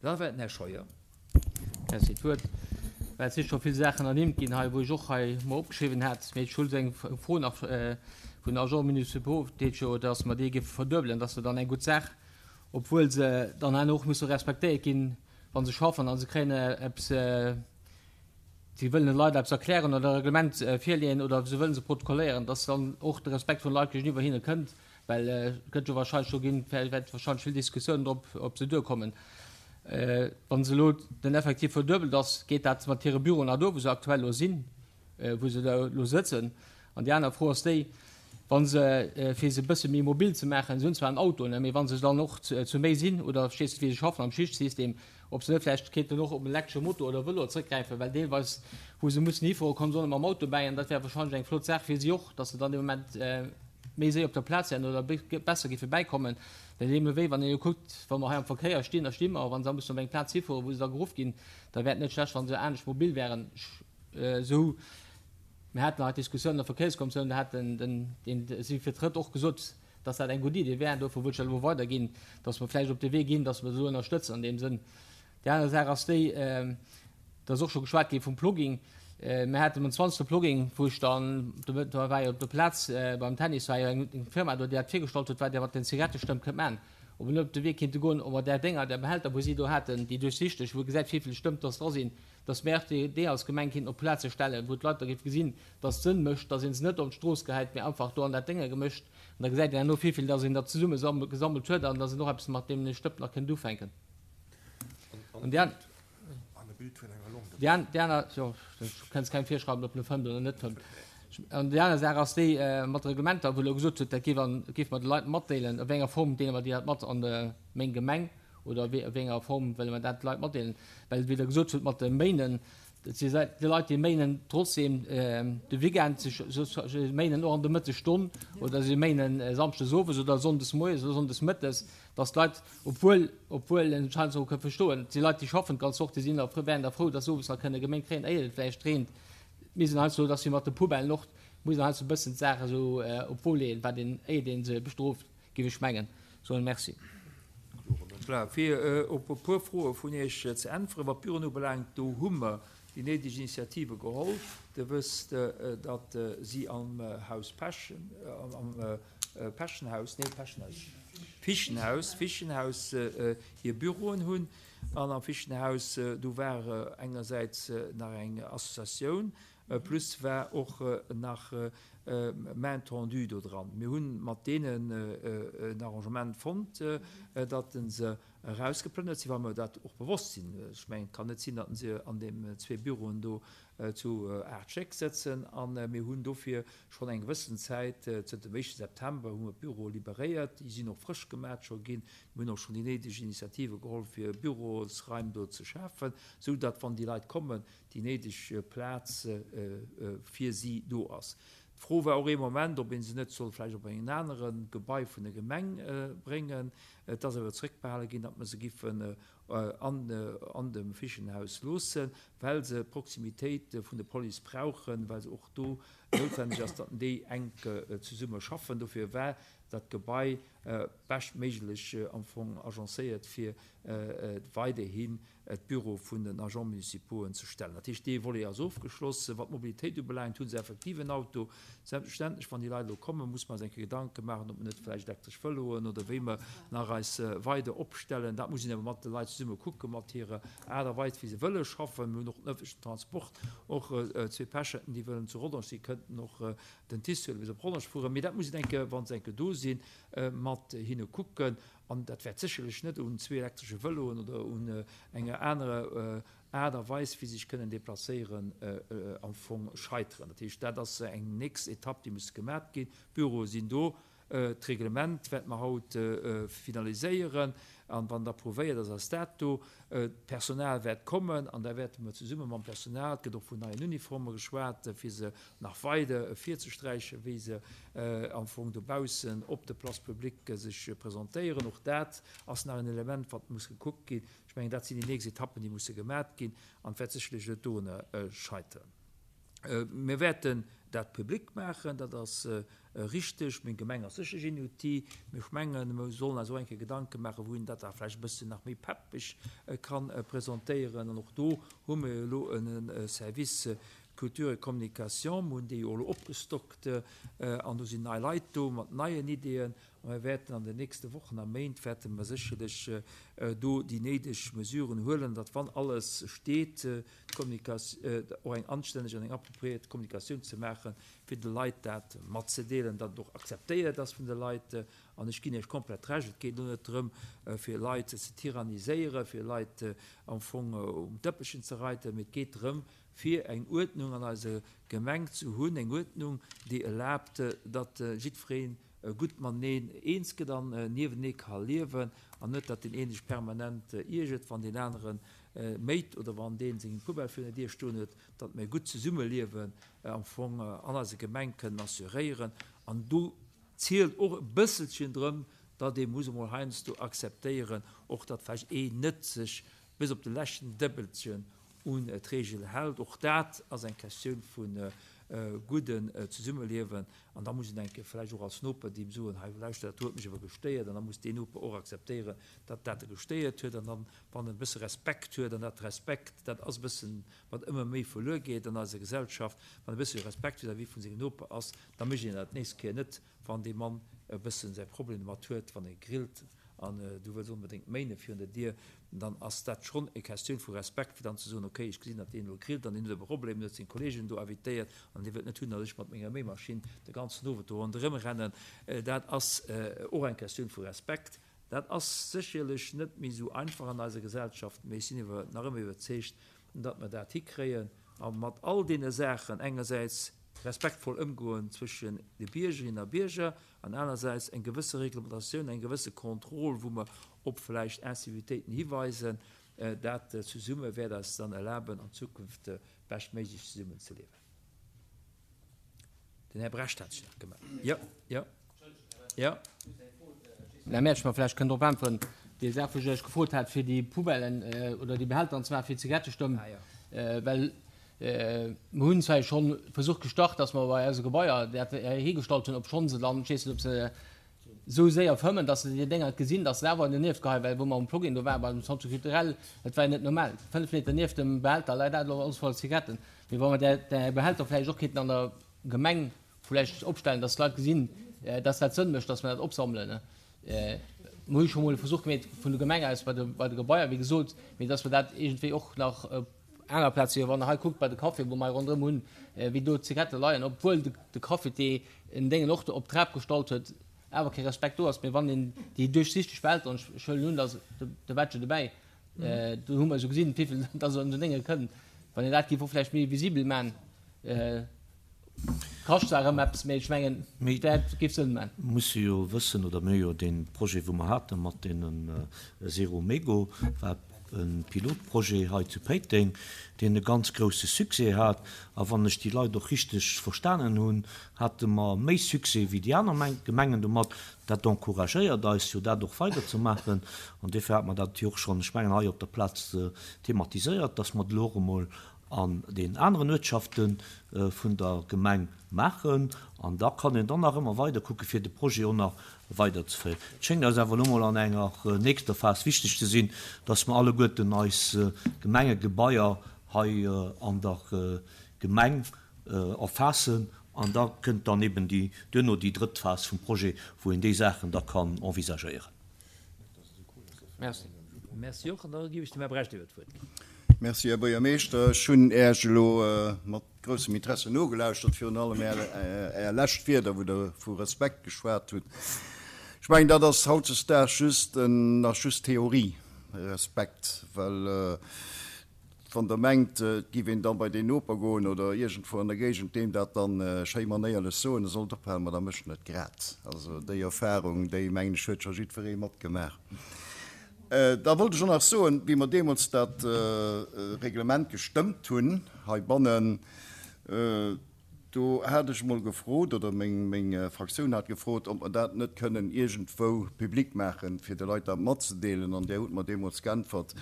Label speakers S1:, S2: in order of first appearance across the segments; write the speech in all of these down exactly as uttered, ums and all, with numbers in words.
S1: Da war den Här Scheuer.
S2: Merci. D'Wuert, well et si scho vill Saachen ernimmt ginn hei, wou ech och hei mer opgeschriwwen hat. Mee ech hu eng Fro nach vun den Agents municipaux, deet jo, dass mer déi géife verduebelen, dass se dann eng gutt Saach, obwuel se dann herno och musse respektéiert ginn, wa se schaffen a se kréien eppes, si wëllen de Leit eppes erklären oder e Reglement virleeën oder se wëllen se protokolléieren, dass dann och de Respekt vun de Leit géigeniwwer hinne kënnt, well et gëtt jo wahrscheinlech do ginn, wäert wahrscheinlech vill Diskussiounen drop op se duerkommen. Wa se elo den Effektiv verduebelt ass, geet dat mat hire Büroen nach duer, wou se aktuell elo sinn, wou se do elo sëtzen? An déi aner Fro ass déi, wa se, fir se e bësse méi mobil ze maachen, se hunn zwar en Auto, ne, mee wa se dann och zu méi sinn oder, verstees de, wéi se schaffen am Schichtsystem, ob se net vläicht kéinten och op en elektresche Moto oder Vëlo zrëckgräifen, well deelweis, wou se mussen hifuere, kommen se och net mam Auto bäi an dat wär wahrscheinlech eng flott Saach fir si och, dass se dann dee Moment méi séier op der Plaz wären oder besser géife bäikommen. Well deemno wéi, wann een elo kuckt, wa mer hei am Verkéier stinn, da sti mer, a wa se da mussen op eng Plaz hifueren, wou se da geruff ginn, da wär et net schlecht, wa se anescht mobil wären. Esou, mir haten hei d'Diskussioun an der Verkéierskommissioun, do hat den, deen si vertrëtt, och gesot, dass dat eng gutt Idee wär. Dofir wollt ech dat elo weiderginn, dass mer vläicht op de Wee ginn, dass mer se elo ënnerstëtzen an deem Sënn. Déi aner Saach ass déi, et ass och scho geschwat gi vum Plogging. Mir haten um zwanzegste Plogging, wou ech dann, do war jo op der Plaz beim Tennis war jo eng Firma do, déi dat virgestallt huet, wat Dir mat den Zigarettestëmp kënnt maachen, ob mer net op de Wee kéinte goen, ob mer där Dénger, där Behälter, wou si do haten, déi duerchsichteg, wou ee gesäit, wéivill Stëmp dass dra sinn, dass mer déi déi als Gemeng kéinten op Plaze stellen, wou d'Leit da géife gesinn, dass et Sënn mécht, dass ee se net op d'Strooss gehäit, mee einfach do an dat Dénger gemécht. An da gesäit een herno, wéivill dass een da zesumme gesammelt huet an dass een och eppes mat deem Stëmp nach kënnt ufänken. An déi Déi aner, jo, du kënns kengem virschreiwen, ob en fëmmt oder net fëmmt. An déi aner Saach ass déi mat de Reglementer, wou Der elo gesot hutt, dat géif an, géife mer de Leit matdeelen. A wéi enger Form deele mer déi dat mat an der meng Gemeng oder a wéi enger Form wëlle mer dat de Leit matdeelen? Well, wéi Der gesot hutt mat de Méinen, et si déi Leit, déi méinen trotzdem de Weekend, se méinen och an der Mëttesstonn oder se méinen samschdes owes oder sonndes moies oder sonndes mëttes, dass d'Leit, obwuel, obwuel een et heiansdo och ka verstoen, et si Leit, déi schaffen d'ganz Woch, déi sinn da frou, wären da frou, dass se owes nach kënne geméint kréien, éier et vläicht reent. Mir sinn heiansdo, dass mir mat de Poubellen och, muss een heiansdo e bëssen d'Saach esou op d'Wo leeën, wat een, éiert ee se bestrooft, géif ech mengen. Soen Merci.
S1: Voilà, fir op e puer Froe vun Iech ze äntweren, wat d'Büroen ubelaangt, do hu mer déi néideg Initiative geholl. Dir wësst, datt si am Haus Pechen, am Pechenhaus, nee, Pechenhaus, Fichenhaus, Fichenhaus hir Büroen hunn. An am Fichenhaus, do war engersäits nach eng Associatioun, plus war och nach Main tendue do dran. Mir hu mat deenen en Arrangement fonnt, datt se erausgeplënnert sinn, well mer dat och bewosst sinn. Ech mengen, et kann net sinn, datt se an deem zwee Büroen do zu aacht Stéck sëtzen. A mir hunn dofir schonn eng gewëssen Zäit, zënter dem éischte September hu mer d'Büroe liberéiert. Déi sinn och frësch gemat scho ginn. Mir hunn och schonn déi néideg Initiative geholl, fir Bürosraim do ze schafen, esou datt, wann déi Leit kommen, déi néideg Plaz fir si do ass. D'Fro war och ee Moment, ob ee se net soll vläicht op en anere Gebai vun der Gemeng bréngen. Et ass awer zrëckbehale ginn, datt mer se giffen an dem Fichenhaus loossen, well se d'Proximitéit vun der Police brauchen, well se och do noutwendeg ass, datt déi enk zesumme schaffen. Dofir war dat Gebai beschtméiglech am Fong agencéiert, fir weiderhin d'Büro vun den Agents municipauxen ze stellen. Dat heescht, dee Volet ass ofgeschloss. Wat d'Mobilitéit ubelaangt, hu se effektiv en Auto. Selbstverständlech, wann déi Leit elo kommen, muss mer eis eng Kéier Gedanke maachen, ob mer net vläicht elektresch Vëloen oder wéi mer nach eis weider opstellen. Dat muss een awer mat de Leit zesumme kucken, mat hirer Aart a Weis, wéi se wëlle schaffen. Mir hunn och den ëffentlechen Transport, och zwee Pecherten, déi wëllen zu Rodange sinn, kënnten och den TICE huelen, bis op Rodange fueren. Mee dat muss een eng Kéier, wa se eng Kéier do sinn, mat hinne kucken. An dat wäert sécherlech net un zwee elektresche Vëloen oder un enger anerer Aart a Weis, wéi se sech kënnen deplacéieren, am Fong scheiteren. Dat heescht, dat ass eng nächst Etapp, déi muss gemat ginn. D'Büroe sinn do. D'Reglement wäerte mer haut finaliséieren. An wann et approuvéiert ass, ass dat do. D'Personal wäert kommen an da wäerte mer zesumme mam Personal, et gëtt och vun neien Uniforme geschwat, fir se nach weider ervirzesträichen, wéi se am Fong dobaussen op de Places publiques sech presentéieren. Och dat ass nach en Element, wat muss gekuckt ginn. Ech mengen, dat sinn déi nächst Etappen, déi musse gemat ginn an et wäert sécherlech net dorunner scheitern. Mir wäerten dat public maachen, dat ass richteg. Meng Gemeng ass sécherlech een Outil, mee ech mengen, mer sollen eis och eng Kéier Gedanke maachen, wou een dat da vläicht e bëssen nach méi peppeg ka presentéieren. An och do hu mer jo elo e Service Culture et Communication, mer hunn dee jo elo opgestockt an do sinn nei Leit do mat neien Ideeën. A mir wäerten an den nächste Wochen a Méint wäerte mer sécherlech do déi néideg Mesuren huelen, datt wann alles steet, och eng anstänneg an eng appropriéiert Kommunikatioun ze maachen, fir de Leit dat matzedeelen, datt et och akzeptéiert ass vun de Leit. An ech ginn Iech komplett Recht, et geet elo net drëm, fir Leit ze tyranniséieren, fir Leit am Fong um Dëppchen ze reiten, mee et geet drëm, fir eng Uerdnung an eiser Gemeng ze hunn, eng Uerdnung, déi erlaabt, datt jiddweree gutt mateneen eens gëtt an niewenee ka liewen, an net, datt deen een sech permanent iergert, wann deen anere méit oder wann dee seng Poubelle virun der Dier stoen huet, datt mir e gutt Zesummeliewen am Fong an eiser Gemeng kënnen assuréieren. An do zielt och e bësselchen drëm, datt ee muss emol heiansdo akzeptéieren, och datt vläicht een net sech bis op de leschten Dëppelchen un d'Regel hält. Och dat ass eng Questioun vu gudden Zesummeliewen. An da muss een eng Kéier vläicht och als Noper deem soen, hei lauschter, dat huet mech awer gestéiert. An da muss deen Noper och akzeptéieren, datt dat e gestéiert huet. An dann, wann en e bësse Respekt huet, an dat Respekt, dat ass e bëssen, wat ëmmer méi verluer geet an eiser Gesellschaft, wann e bësse Respekt vis-à-vis vu sengem Noper ass, da mécht een dat d'nächst Kéier net, wann dee Mann e bëssen säi Problem domat huet, wann e grillt an du wëlls onbedéngt méine virun der Dier, dann ass dat schonn e Questioun vu Respekt, fir dann ze soen, okay, ech gesinn, datt deen elo grillt an deen huet e Problem, deen huet seng Kolleegen do invitéiert an dee wëllt net hunn, datt ech mat menger Méimaschinn de ganzen Owend do ronderëm rennen. Dat ass och eng Questioun vu Respekt. Dat ass sécherlech net méi esou einfach an eiser Gesellschaft, mee ech sinn iwwer nach ëmmer iwwerzeegt, datt mer dat hikréien a mat all deene Saachen engersäits respektvoll ëmgoen zwëschen de Biergerinnen a Bierger an anersäits eng gewësse Reglementatioun, eng gewësse Contrôle, wou mer op vläicht Incivilitéiten hiweisen, dat zesumme wäert eis dann erlaben, an Zukunft beschtméiglech zesummen ze liewen. Den Här Brecht hat sech nach gemellt. Jo, jo, jo.
S2: Här Mersch, mer vläicht kënnt drop äntweren, déi Saach, wou ech Iech gefrot hat, fir déi Poubellen oder déi Behälter an zwar fir d'Zigarettestëmm, well mer hunn zwar schonn Versuch gestart, dass mer bei eise Gebaier dat hiergestallt hunn, obschonn se dann, ech weess net, ob se esou séier fëmmen, dass se déi Dénger gesinn, dass se awer dernieft geheien, well wou mer um Plugin do waren, beim Centre culturel, dat war jo net normal, fënnf Meter nieft dem Behälter läit dat elo alles voller Zigaretten. Mee wa mer där, där Behälter vläicht och kéinten an der Gemeng vläicht opstellen, dass d'Leit gesinn, dass dat Sënn mécht, dass mer dat opsammelen. Mer hu scho mol e Versuch gemeet vun der Gemeng aus bei de, bei de Gebaier, wéi gesot, mee dass mer dat iergendwéi och nach op aner Plaze, wann Der hei kuckt bei de Café, wou mer hei ronderëm hunn, wéi do d'Zigarette leien, obwuel de, de Cafetier en Déngen och op d'Trap gestallt huet, awer kee Respekt do ass. Mee wann een déi duerchsichteg Behälter, an ech huelen un, dass de Badge dobäi, do hu mer jo gesinn, wéivill dass an esou Dénge kënn, wann een dat géif och vläicht méi visibel maachen, kascht zwar erëm eppes, mee ech mengen, dat géif Sënn maachen.
S3: Mir musse jo wëssen, oder mir hu jo dee Projet, wou mer hate mat deenen Zero Mégo, war e Pilotprojet hei zu Péiteng, deen e ganz grouse Succès hat. A wann ech déi Leit och richteg verstanen hunn, hate mer méi Succès wéi déi aner Gemengen domat. Dat encouragéiert eis jo, dat och weiderzemaachen. An duerfir hat mer dat jo och schonn, ech mengen, hei op der Plaz thematiséiert, dass mer dat elo och emol an den aneren Uertschafte vun der Gemeng maachen. An da kann een dann nach ëmmer weider kucke fir de Projet och nach weiderzeféieren. Et schéngt eis awer elo mol an enger nächster Phas wichteg ze sinn, dass mer alleguerten eis Gemengegebaier hei an der Gemeng erfaassen. An da kënnt dann eben déi, duerno déi drëtt Phas vum Projet, wou een déi Saachen da kann envisagéieren.
S2: Merci.
S1: Merci och. An da ginn ech dem Här Brecht iwwer d'Wuert.
S4: Merci, Här Buergermeeschter. Ech hunn Äech elo mat groussem Interesse nogelauschtert, virun allem Är lescht Wierder, wou Der vu Respekt geschwat hutt. Ech mengen, dat ass hautdesdaags just nach just Theorie, Respekt, well wann Der mengt, et géif een da bei deen Noper goen oder iergendwou an der Géigend deem dat dann schéi manéierlech soen, e sollt ophalen, ma da mécht en et grad. Also déi Erfahrung, déi, mengen ech, huet scho jiddweree matgemaach. Da wollt ech och nach soen, wéi mer deemools dat Reglement gestëmmt hunn heibannen, do hat ech emol gefrot, oder meng Fraktioun hat gefrot, ob mer dat net kënnen iergendwou public maachen, fir de Leit dat matzedeelen. An Där hutt mer deemools geäntwert,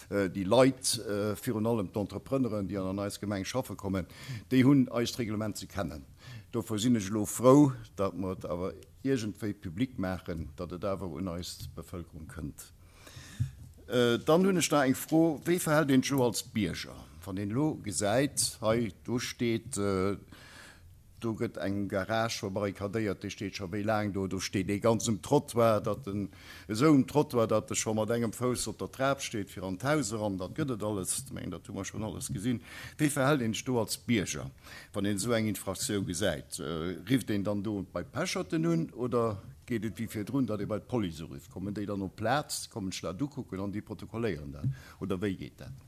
S4: déi Leit, virun allem d'Entrepreneuren, déi an eis Gemeng schaffe kommen, déi hunn eist Reglement ze kennen. Dofir sinn ech elo frou, datt mer et awer iergendwéi public maachen, datt et awer un eis Bevëlkerung kënnt. Dann hunn ech nach eng Fro, Wéi verhält een sech elo als Bierger, wann een elo gesäit, hei do steet, do gëtt eng Garage verbarrikadéiert, déi steet scho wéi laang do, do steet ee ganz um Trottoir, datt en esou um Trottoir, datt e scho mat engem Fouss op der Trap steet fir an d'Haus eran, dat gëtt et alles, ech mengen, dat hu mer schonn alles gesinn. Wéi verhält een sech do als Bierger, wann een esou eng Infraktioun gesäit? Rifft een dann do bei d'Pecherten un oder geet et wéi virdrun, datt ee bei d'Police urifft? Kommen déi dann op d'Plaz, kommen sech dat ukucken an déi protokolléieren dat oder wéi geet dat?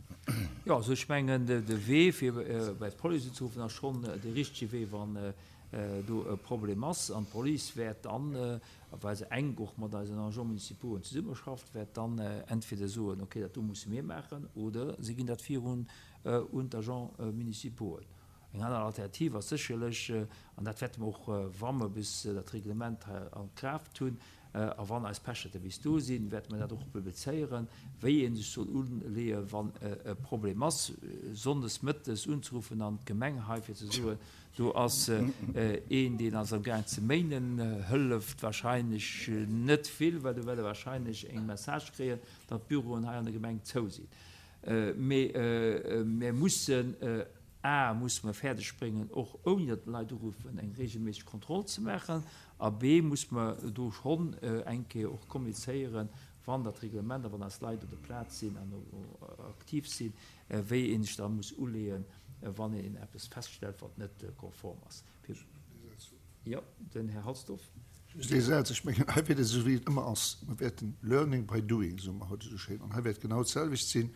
S1: Jo, also ech mengen, de Wee fir bei d'Police unzeruffen ass schonn de richtege Wee, wann do e Problem ass. An d'Police wäert dann, well se enk och mat eisen Agents municipauxen zesummeschafft, wäert dann entweder soen, okay, dat do musse mir maachen, oder si ginn dat virun un d'Agents municipauxen. Eng aner Alternativ ass sécherlech, an dat wäerte mer och, wa mer bis dat Reglement hei an Kraaft hunn a wann eis Pecherte bis do sinn, wäerte mer dat och publizéieren, wéi ee sech soll uleeën, wann e Problem ass, sonndes mëttes unzeruffen an d'Gemeng hei, fir ze soen, do ass een, deen ass amgaang ze méinen, hëlleft wahrscheinlech net vill, well do wäert Der wahrscheinlech eng Message kréien, datt d'Büroen hei an der Gemeng zou sinn. Mee mir mussen A, musse mer fäerdeg bréngen, och ouni datt d'Leit uruffen, eng regelméisseg Kontroll ze maachen, a B, musse mer do schonn eng Kéier och kommunizéieren, wann dat Reglement a wann eis Leit op der Plaz sinn an aktiv sinn, wéi ee sech da muss uleeën, wann een eppes feststellt, wat net konform ass. Jo, den Här Halsdorf.
S5: Just ee Saz, Ech mengen, hei wäert et esou wéi et ëmmer ass, mer wäerten learning by doing, soe mer haut esou schéin, an hei wäert genau d'selwecht sinn.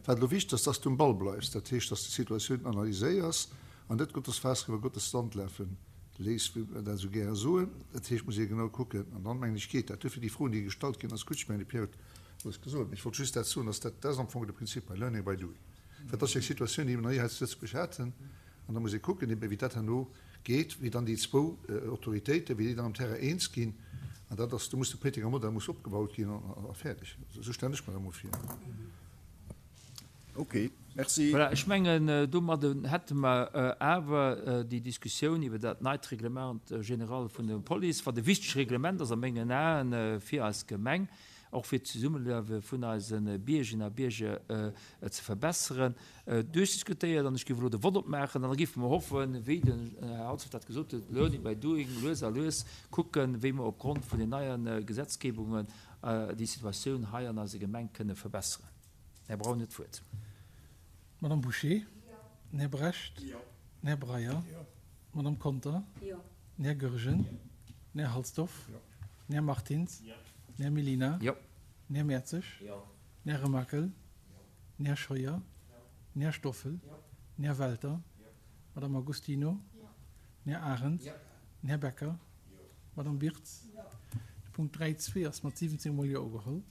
S5: Wat elo wichteg ass, dass s du um Ball bleifs, dat heescht, dass s de d'Situatioun analyséiers an net Gottes Faass iwwer Gottes Sand lafe léiss, wéi mer dat esou gäre soen. Dat heescht, et muss ee genau kucken an dann, mengen ech, geet dat. Duerfir déi Froen, déi gestallt ginn, ass gutt. Ech mengen, de Pierre huet alles gesot, mee ech wollt just dat soen, dass dat, dat ass am Fong de Prinzip hei, learning by doing. Well dat ass jo eng Situatioun, déi mer nach ni hei zu Lëtzebuerg haten an da muss ee kucken eben, wéi dat herno geet, wéi dann déi zwou Autoritéiten, wéi déi dann am Terrain eens ginn. An dat ass, do muss de Péitenger Modell muss opgebaut ginn a fäerdeg. Esou stellen ech mer dat emol vir.
S4: Ok, merci.
S1: Voilà, ech mengen, domadde hätte mer awer déi Diskussioun iwwer dat neit Règlement général vun der Police, wat e wichteg Reglement ass a mengen Aen fir eis Gemeng, och fir d'Zesummeliewe vun eise Biergerinnen a Bierger ze verbesseren, duerchdiskutéiert. An ech géif elo de Vott opmaachen an da géife mer hoffen, wéi den Här Halsdorf dat gesot huet, learning by doing, lues a lues kucken, wéi mer opgrond vun den neie Gesetzgebungen déi Situatioun hei an eiser Gemeng kënne verbesseren. Här Braun huet d'Wuert.
S6: Madame Bouché? Den Här Brecht? Den Här Breyer? D'Madame Conter? Den Här Goergen? Den Här Halsdorf? Den Här Martins? Den Här Mellina? Den Här Mertzig? Den Här Remakel? Den Här Scheuer? Den Här Stoffel? Den Här Welter? D'Madame Agostino? Den Här Arendt? Den Här Becker? D'Madame Birtz? De Punkt dräi zwee ass mat siwwenzéng mol Jo ugeholl.